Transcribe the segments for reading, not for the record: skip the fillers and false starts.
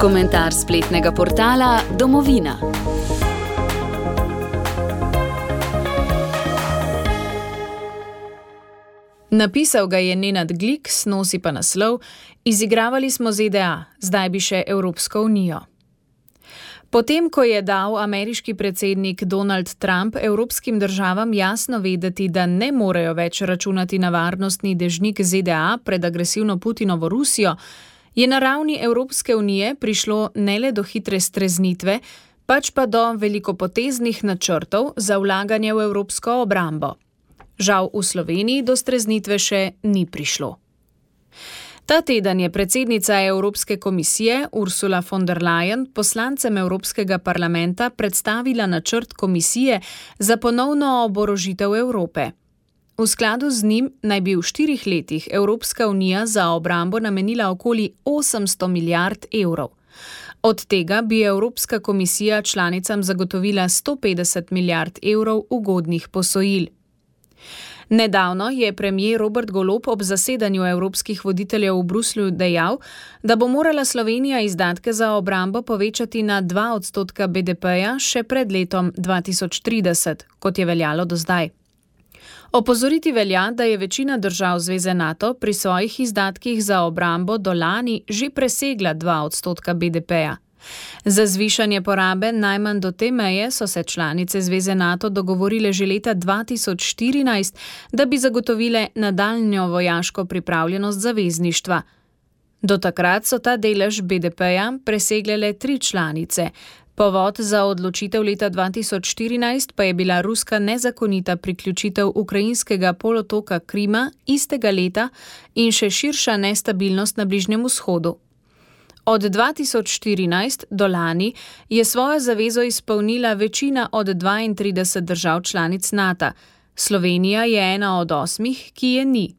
Komentar spletnega portala Domovina. Napisal ga je Nenad Gliks, nosi pa naslov: Izigravali smo ZDA, zdaj bi še Evropsko unijo. Potem, ko je dal ameriški predsednik Donald Trump evropskim državam jasno vedeti, da ne morejo več računati na varnostni dežnik ZDA pred agresivno Putinovo Rusijo, je na ravni Evropske unije prišlo ne le do hitre streznitve, pač pa do velikopoteznih načrtov za vlaganje v evropsko obrambo. Žal v Sloveniji do streznitve še ni prišlo. Ta teden je predsednica Evropske komisije Ursula von der Leyen poslancem Evropskega parlamenta predstavila načrt komisije za ponovno oborožitev Evrope. V skladu z njim naj bi v 4 letih Evropska unija za obrambo namenila okoli 800 milijard evrov. Od tega bi Evropska komisija članicam zagotovila 150 milijard evrov ugodnih posojil. Nedavno je premier Robert Golob ob zasedanju evropskih voditeljev v Bruslju dejal, da bo morala Slovenija izdatke za obrambo povečati na 2% BDP-ja še pred letom 2030, kot je veljalo do zdaj. Opozoriti velja, da je večina držav Zveze NATO pri svojih izdatkih za obrambo do lani že presegla 2% BDP-ja. Za zvišanje porabe najmanj do te meje so se članice Zveze NATO dogovorile že leta 2014, da bi zagotovile nadaljnjo vojaško pripravljenost zavezništva. Do takrat so ta delež BDP-ja presegle le 3 članice. Povod za odločitev leta 2014 pa je bila ruska nezakonita priključitev ukrajinskega polotoka Krima istega leta in še širša nestabilnost na Bližnjem vzhodu. Od 2014 do lani je svojo zavezo izpolnila večina od 32 držav članic NATO. Slovenija je ena od 8, ki je ni.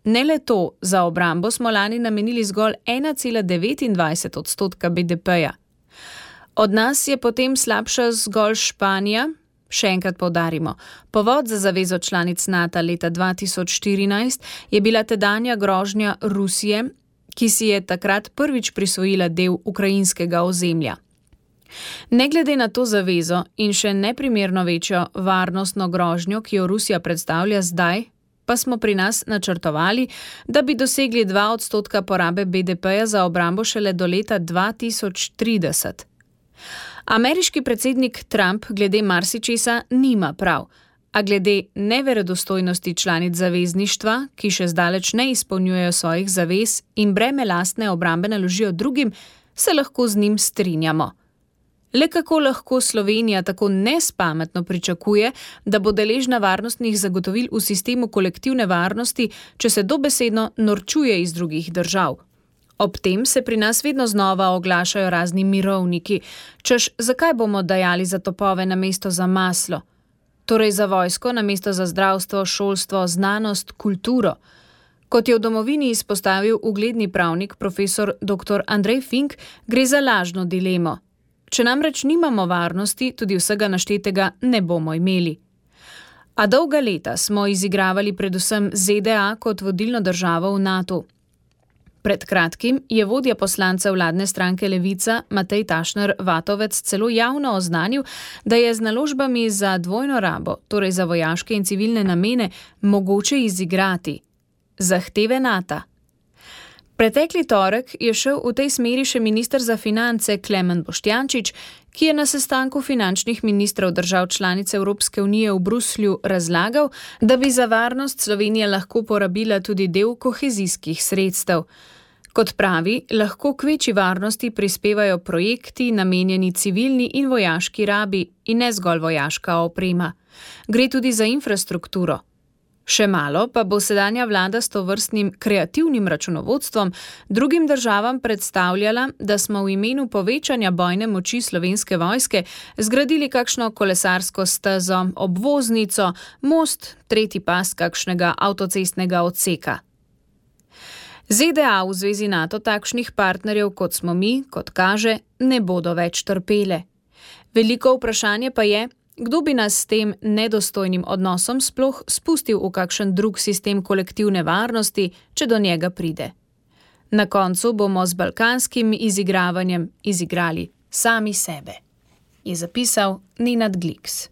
Ne le to, za obrambo smo lani namenili zgolj 1,29% BDP-ja. Od nas je potem slabša zgolj Španija. Še enkrat poudarimo, povod za zavezo članic NATO leta 2014 je bila tedanja grožnja Rusije, ki si je takrat prvič prisvojila del ukrajinskega ozemlja. Ne glede na to zavezo in še neprimerno večjo varnostno grožnjo, ki jo Rusija predstavlja zdaj, pa smo pri nas načrtovali, da bi dosegli 2% porabe BDP-ja za obrambo šele do leta 2030. Ameriški predsednik Trump glede marsičesa nima prav, a glede neverodostojnosti članic zavezništva, ki še zdaleč ne izpolnjujejo svojih zavez in breme lastne obrambe naložijo drugim, se lahko z njim strinjamo. Le kako lahko Slovenija tako nespametno pričakuje, da bo deležna varnostnih zagotovil v sistemu kolektivne varnosti, če se dobesedno norčuje iz drugih držav? Ob tem se pri nas vedno znova oglašajo razni mirovniki, češ zakaj bomo dajali za topove namesto za maslo? Torej za vojsko namesto za zdravstvo, šolstvo, znanost, kulturo. Kot je v Domovini izpostavil ugledni pravnik profesor dr. Andrej Fink, gre za lažno dilemo. Če namreč nimamo varnosti, tudi vsega naštetega ne bomo imeli. A dolga leta smo izigravali predvsem ZDA kot vodilno državo v NATO. Pred kratkim je vodja poslancev vladne stranke Levica Matej Tašner Vatovec celo javno oznanil, da je z naložbami za dvojno rabo, torej za vojaške in civilne namene, mogoče izigrati zahteve NATO. Pretekli torek je šel v tej smeri še minister za finance Klemen Boštjančič, ki je na sestanku finančnih ministrov držav članic Evropske unije v Bruslju razlagal, da bi za varnost Slovenija lahko porabila tudi del kohezijskih sredstev. Kot pravi, lahko k večji varnosti prispevajo projekti namenjeni civilni in vojaški rabi in ne zgolj vojaška oprema. Gre tudi za infrastrukturo. Še malo pa bo sedanja vlada s tovrstnim kreativnim računovodstvom drugim državam predstavljala, da smo v imenu povečanja bojne moči Slovenske vojske zgradili kakšno kolesarsko stezo, obvoznico, most, 3. pas kakšnega avtocestnega odseka. ZDA v Zvezi NATO takšnih partnerjev, kot smo mi, kot kaže, ne bodo več trpele. Veliko vprašanje pa je, kdo bi nas s tem nedostojnim odnosom sploh spustil v kakšen drug sistem kolektivne varnosti, če do njega pride. Na koncu bomo z balkanskim izigravanjem izigrali sami sebe, je zapisal Nenad Gliks.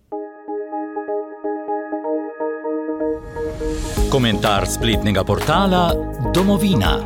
Komentar spletnega portala Domovina.